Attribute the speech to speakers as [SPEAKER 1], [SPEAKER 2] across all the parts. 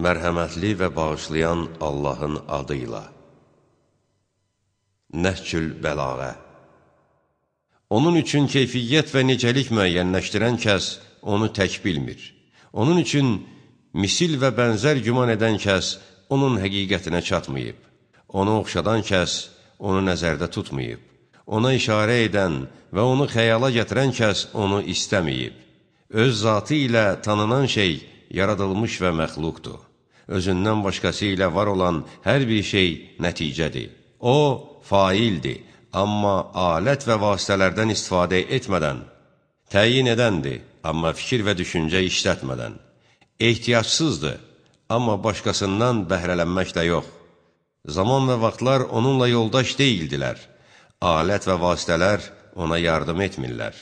[SPEAKER 1] Mərhəmətli və bağışlayan Allahın adıyla. Nəhcül bəlağə. Onun üçün keyfiyyət və necəlik müəyyənləşdirən kəs onu tək bilmir. Onun üçün misil və bənzər güman edən kəs onun həqiqətinə çatmayıb. Onu oxşadan kəs onu nəzərdə tutmayıb. Ona işarə edən və onu xəyala gətirən kəs onu istəməyib. Öz zatı ilə tanınan şey yaradılmış və məxluqdur. Özündən başqası ilə var olan hər bir şey nəticədir. O, faildir, amma alət və vasitələrdən istifadə etmədən, təyin edəndir, amma fikir və düşüncə işlətmədən, ehtiyacsızdır, amma başqasından bəhrələnməklə yox. Zaman və vaxtlar onunla yoldaş deyildilər, alət və vasitələr ona yardım etmirlər.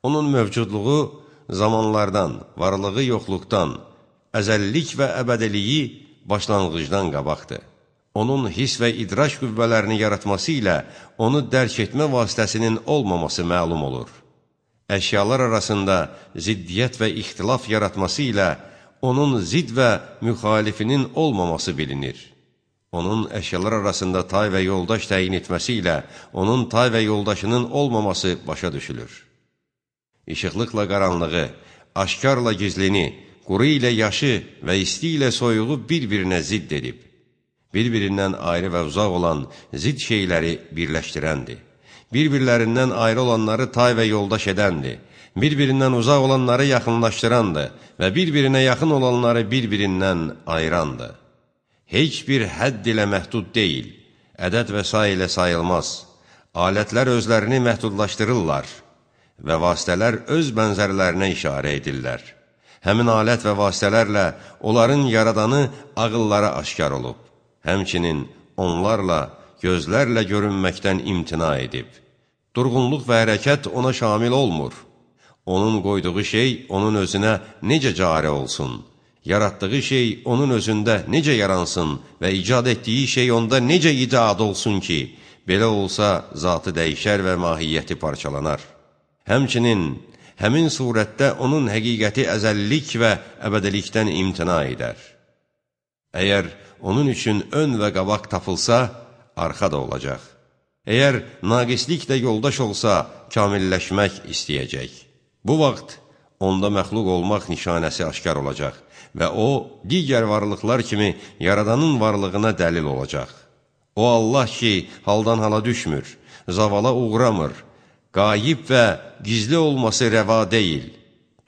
[SPEAKER 1] Onun mövcudluğu zamanlardan, varlığı yoxluqdan, əzəllik və əbədiliyi başlanğıcdan qabaqdır. Onun his və idraç qüvvələrini yaratması ilə onu dərk etmə vasitəsinin olmaması məlum olur. Əşyalar arasında ziddiyyət və ixtilaf yaratması ilə onun zid və müxalifinin olmaması bilinir. Onun əşyalar arasında tay və yoldaş təyin etməsi ilə onun tay və yoldaşının olmaması başa düşülür. İşıqlıqla qaranlığı, aşkarla gizlini, quru ilə yaşı və isti ilə soyuğu bir-birinə zidd edib. Bir-birindən ayrı və uzaq olan zidd şeyləri birləşdirəndir. Bir-birlərindən ayrı olanları tay və yoldaş edəndir. Bir-birindən uzaq olanları yaxınlaşdırandır və bir-birinə yaxın olanları bir-birindən ayırandır. Heç bir hədd ilə məhdud deyil, ədəd və say ilə sayılmaz. Alətlər özlərini məhdudlaşdırırlar və vasitələr öz bənzərlərinə işarə edirlər. Həmin alət və vasitələrlə onların yaradanı ağıllara aşkar olub. Həmçinin onlarla, gözlərlə görünməkdən imtina edib. Durğunluq və hərəkət ona şamil olmur. Onun qoyduğu şey onun özünə necə cari olsun? Yaratdığı şey onun özündə necə yaransın və icad etdiyi şey onda necə icad olsun ki, belə olsa zatı dəyişər və mahiyyəti parçalanar. Həmçinin həmin surətdə onun həqiqəti əzəllik və əbədilikdən imtina edər. Əgər onun üçün ön və qabaq tapılsa, arxa da olacaq. Əgər naqisliklə yoldaş olsa, kamilləşmək istəyəcək. Bu vaxt onda məxluq olmaq nişanəsi aşkar olacaq və o, digər varlıqlar kimi yaradanın varlığına dəlil olacaq. O Allah ki, haldan hala düşmür, zavala uğramır, qayib və gizli olması rəva deyil.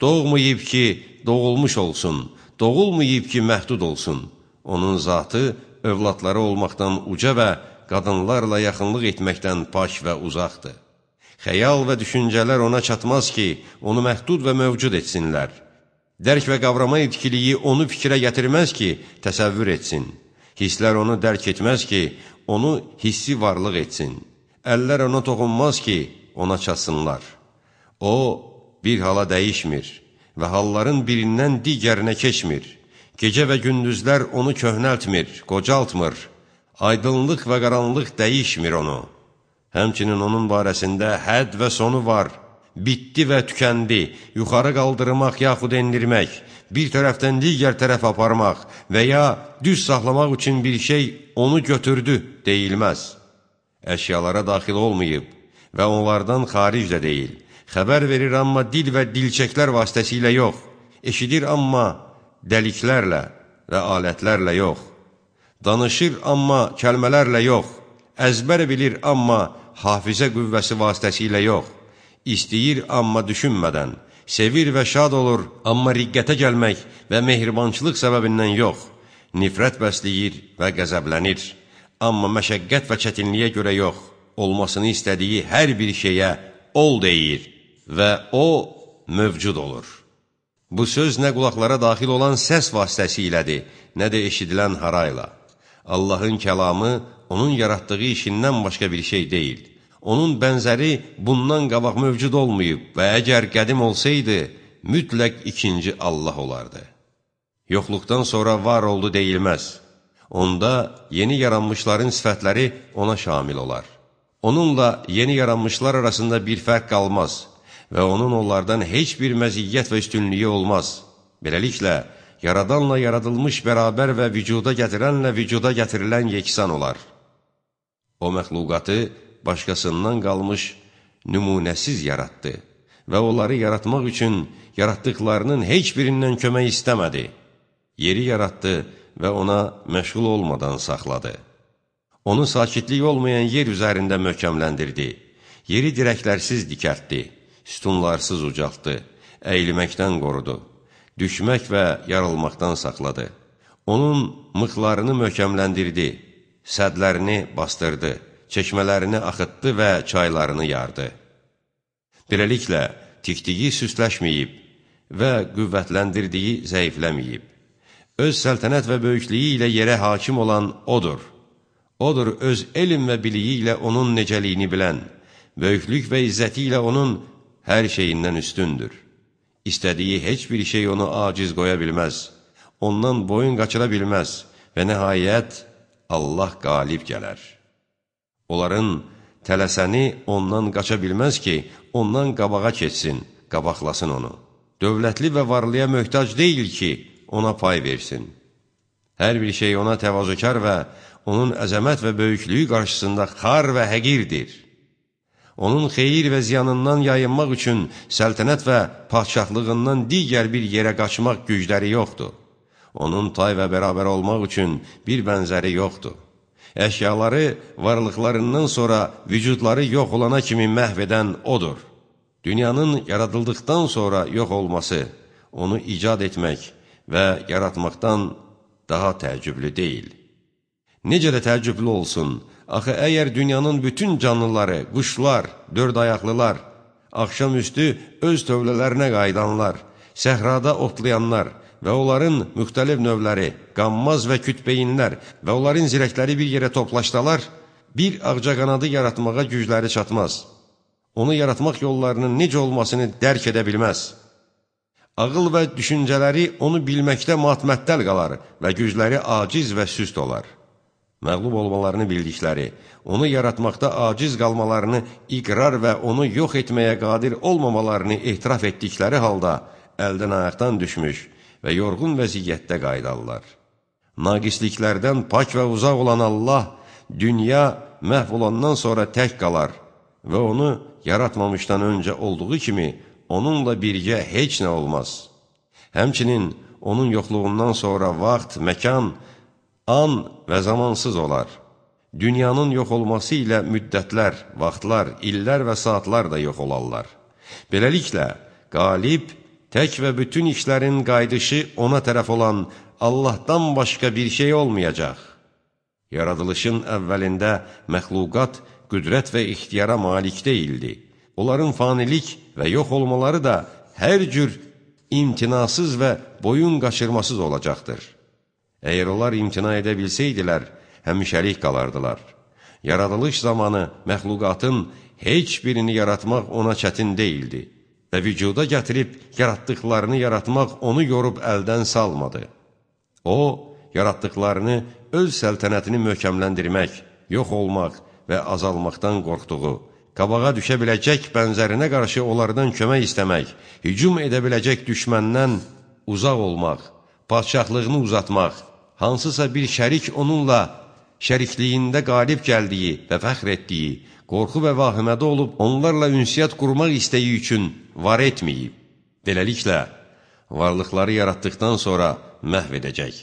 [SPEAKER 1] Doğmayıb ki, doğulmuş olsun, doğulmayıb ki, məhdud olsun. Onun zatı övladları olmaqdan uca və qadınlarla yaxınlıq etməkdən pak və uzaqdır. Xəyal və düşüncələr ona çatmaz ki, onu məhdud və mövcud etsinlər. Dərk və qavrama etkiliyi onu fikrə gətirməz ki, təsəvvür etsin. Hisslər onu dərk etməz ki, onu hissi varlıq etsin. Əllər ona toxunmaz ki, ona çatsınlar. O, bir hala dəyişmir və halların birindən digərinə keçmir. Gecə və gündüzlər onu köhnəltmir, qocaltmır. Aydınlıq və qaranlıq dəyişmir onu. Həmçinin onun barəsində hədd və sonu var. Bitdi və tükəndi, yuxarı qaldırmaq yaxud endirmək, bir tərəfdən digər tərəf aparmaq və ya düz saxlamaq üçün bir şey onu götürdü deyilməz. Əşyalara daxil olmayıb və onlardan xaric də deyil. Xəbər verir amma dil və dilçəklər vasitəsilə yox. Eşidir amma dəliklərlə və alətlərlə yox. Danışır amma kəlmələrlə yox. Əzbər bilir amma hafizə qüvvəsi vasitəsilə yox. İstəyir amma düşünmədən. Sevir və şad olur amma riqqətə gəlmək və mehribançılıq səbəbindən yox. Nifrət bəsləyir və qəzəblənir. Amma məşəqqət və çətinliyə görə yox. Olmasını istədiyi hər bir şeyə ol deyir və o mövcud olur. Bu söz nə qulaqlara daxil olan səs vasitəsilədir, nə də eşidilən harayla. Allahın kəlamı onun yaratdığı işindən başqa bir şey deyil. Onun bənzəri bundan qabaq mövcud olmayıb və əgər qədim olsaydı, mütləq ikinci Allah olardı. Yoxluqdan sonra var oldu deyilməz. Onda yeni yaranmışların sifətləri ona şamil olar. Onunla yeni yaranmışlar arasında bir fərq qalmaz və onun onlardan heç bir məziyyət və üstünlüyü olmaz. Beləliklə, yaradanla yaradılmış bərabər və vücuda gətirənlə vücuda gətirilən yeksan olar. O məxluqatı başqasından qalmış nümunəsiz yaratdı və onları yaratmaq üçün yaratdıqlarının heç birindən kömək istəmədi. Yeri yaratdı və ona məşğul olmadan saxladı. Onu sakitlik olmayan yer üzərində möhkəmləndirdi. Yeri dirəklərsiz dikəltdi, sütunlarsız ucaltdı, əyilməkdən qorudu, düşmək və yarılmaqdan saxladı. Onun mıxlarını möhkəmləndirdi, sədlərini bastırdı, çeşmələrini axıtdı və çaylarını yardı. Beləliklə, tikdiyi süsləşməyib və qüvvətləndirdiyi zəifləməyib. Öz səltənət və böyüklüyü ilə yerə hakim olan O'dur. O'dur öz elm və biliyi ilə onun necəliyini bilən, böyüklük və izzəti ilə onun hər şeyindən üstündür. İstədiyi heç bir şey onu aciz qoya bilməz, ondan boyun qaçıra bilməz və nəhayət Allah qalib gələr. Onların tələsəni ondan qaça bilməz ki, ondan qabağa keçsin, qabaqlasın onu. Dövlətli və varlıya möhtac deyil ki, ona pay versin. Hər bir şey ona təvazökar və onun əzəmət və böyüklüyü qarşısında xar və həqirdir. Onun xeyir və ziyanından yayınmaq üçün səltənət və padşahlığından digər bir yerə qaçmaq gücləri yoxdur. Onun tay və bərabər olmaq üçün bir bənzəri yoxdur. Əşyaları varlıqlarından sonra vücudları yox olana kimi məhv edən O'dur. Dünyanın yaradıldıqdan sonra yox olması, onu icad etmək və yaratmaqdan daha təəccüblü deyil. Necə də təəccüblü olsun, axı əgər dünyanın bütün canlıları, quşlar, dörd ayaqlılar, axşamüstü öz tövlələrinə qayıdanlar, səhrada otlayanlar və onların müxtəlif növləri, qanmaz və kütbeyinlər və onların zirəkləri bir yerə toplaşdalar, bir ağcaqanadı yaratmağa gücləri çatmaz. Onu yaratmaq yollarının necə olmasını dərk edə bilməz. Ağıl və düşüncələri onu bilməkdə matməttəl qalar və gücləri aciz və süst olar. Məğlub olmalarını bildikləri, onu yaratmaqda aciz qalmalarını iqrar və onu yox etməyə qadir olmamalarını etiraf etdikləri halda əldən ayaqdan düşmüş və yorğun vəziyyətdə qayıdarlar. Naqisliklərdən pak və uzaq olan Allah, dünya məhv olandan sonra tək qalar və onu yaratmamışdan öncə olduğu kimi onunla birgə heç nə olmaz. Həmçinin onun yoxluğundan sonra vaxt, məkan, an və zamansız olar. Dünyanın yox olması ilə müddətlər, vaxtlar, illər və saatlar da yox olarlar. Beləliklə, qalib, tək və bütün işlərin qayıdışı ona tərəf olan Allahdan başqa bir şey olmayacaq. Yaradılışın əvvəlində məxluqat qüdrət və ixtiyara malik deyildi. Onların fanilik və yox olmaları da hər cür imtinasız və boyun qaçırmasız olacaqdır. Əgər onlar imtina edə bilsəydilər, həmişəlik qalardılar. Yaradılış zamanı məxluqatın heç birini yaratmaq ona çətin deyildi və vücuda gətirib yaratdıqlarını yaratmaq onu yorub əldən salmadı. O, yaratdıqlarını öz səltənətini möhkəmləndirmək, yox olmaq və azalmaqdan qorxduğu, qabağa düşə biləcək bənzərinə qarşı onlardan kömək istəmək, hücum edə biləcək düşməndən uzaq olmaq, padşahlığını uzatmaq, hansısa bir şərik onunla şərikliyində qalib gəldiyi və fəxr etdiyi, qorxu və vahimədə olub onlarla ünsiyyət qurmaq istəyi üçün var etməyib. Beləliklə, varlıqları yaratdıqdan sonra məhv edəcək.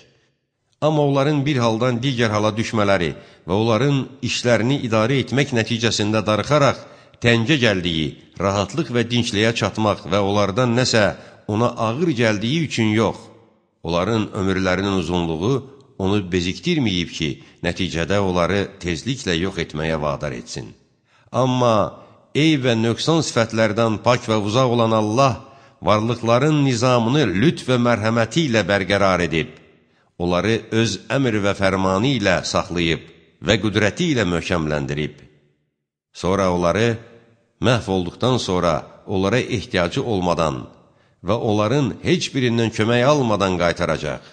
[SPEAKER 1] Amma onların bir haldan digər hala düşmələri və onların işlərini idarə etmək nəticəsində darıxaraq təngə gəldiyi, rahatlıq və dinçliyə çatmaq və onlardan nəsə ona ağır gəldiyi üçün yox. Onların ömürlərinin uzunluğu onu bezikdirməyib ki, nəticədə onları tezliklə yox etməyə vadar etsin. Amma eyb və nöqsan sifətlərdən pak və uzaq olan Allah, varlıqların nizamını lütf və mərhəməti ilə bərqərar edib, onları öz əmr və fərmanı ilə saxlayıb və qüdrəti ilə möhkəmləndirib. Sonra onları məhv olduqdan sonra onlara ehtiyacı olmadan və onların heç birindən kömək almadan qaytaracaq.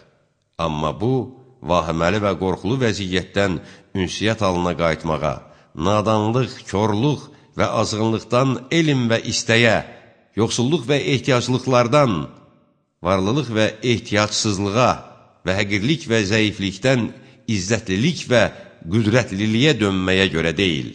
[SPEAKER 1] Amma bu, vahiməli və qorxulu vəziyyətdən ünsiyyət halına qayıtmağa, nadanlıq, körlük və azğınlıqdan elm və istəyə, yoxsulluq və ehtiyaclıqlardan varlılıq və ehtiyatsızlığa və həqirlik və zəiflikdən izzətlilik və qüdrətliliyə dönməyə görə deyil.